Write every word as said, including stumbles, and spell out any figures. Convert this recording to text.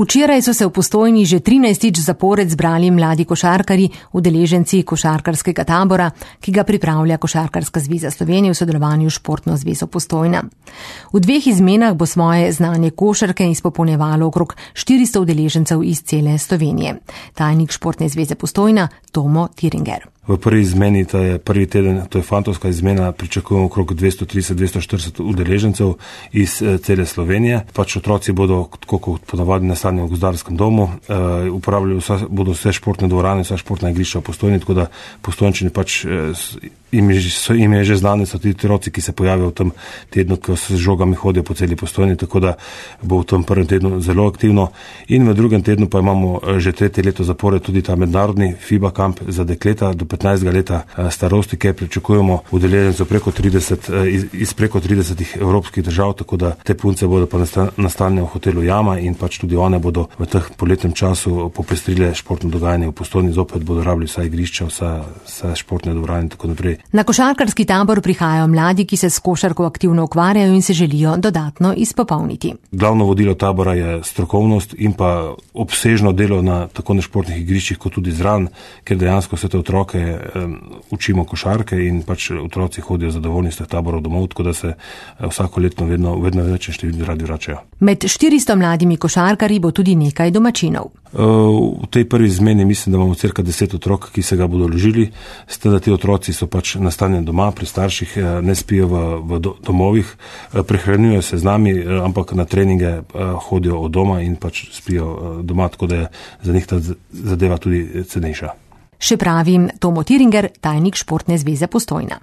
Včeraj so se v Postojni že trinajstič zapored zbrali mladi košarkarji, udeleženci košarkarskega tabora, ki ga pripravlja Košarkarska zveza Slovenije v sodelovanju s Športno zvezo Postojna. V dveh izmenah bo svoje znanje košarke izpopolnjevalo okrog štiristo udeležencev iz cele Slovenije. Tajnik Športne zveze Postojna Tomo Tiringer. V prvi izmeni, to je prvi teden, to je fantovska izmena, pričakujemo okrog dvesto trideset do dvesto štirideset udeležencev iz cele Slovenije. Pač otroci bodo, tako kot ponavadi na stanju v gozdarskem domu, uh, uporabljali vsa, bodo vse športne dvorane, vsa športna igrišča v Postojni, tako da Postojnčani pač im je, so, im je že znane, so ti otroci, ki se pojavijo v tem tednu, ko se z žogami hodijo po celi Postojni, tako da bo v tem prvem tednu zelo aktivno. In v drugem tednu pa imamo že tretje leto zapored tudi ta mednarodni FIBA kamp za dekleta do petnajstega leta starosti, kjer pričakujemo udeležencev preko trideset, iz, iz preko tridesetih evropskih držav, tako da te punce bodo pa nastanjene v hotelu Jama in pač tudi one bodo v teh poletnem času popestrile športno dogajanje v Postojni, zopet bodo rabili vsa igrišča, vsa, vsa športne dvorane in tako naprej. Na košarkarski tabor prihajajo mladi, ki se s košarko aktivno ukvarjajo in se želijo dodatno izpopolniti. Glavno vodilo tabora je strokovnost in pa obsežno delo na tako na športnih igriščih kot tudi zraven, ker dejansko vse te otroke um, učimo košarke in pač otroci hodijo zadovoljni z teh taborov domov, tako da se vsako leto vedno, vedno več število radi vračajo. Med štiristo mladimi košarkarji bo tudi nekaj domačinov. V tej prvi izmeni mislim, da imamo cirka deset otrok, ki se ga bodo ložili, s tem, da ti otroci so pač nastanjeni doma, pri starših, ne spijo v, v domovih, prehranjujejo se z nami, ampak na treninge hodijo od doma in pač spijo doma, tako da je za njih ta zadeva tudi cenejša. Še pravim Tomo Tiringer, tajnik Športne zveze Postojna.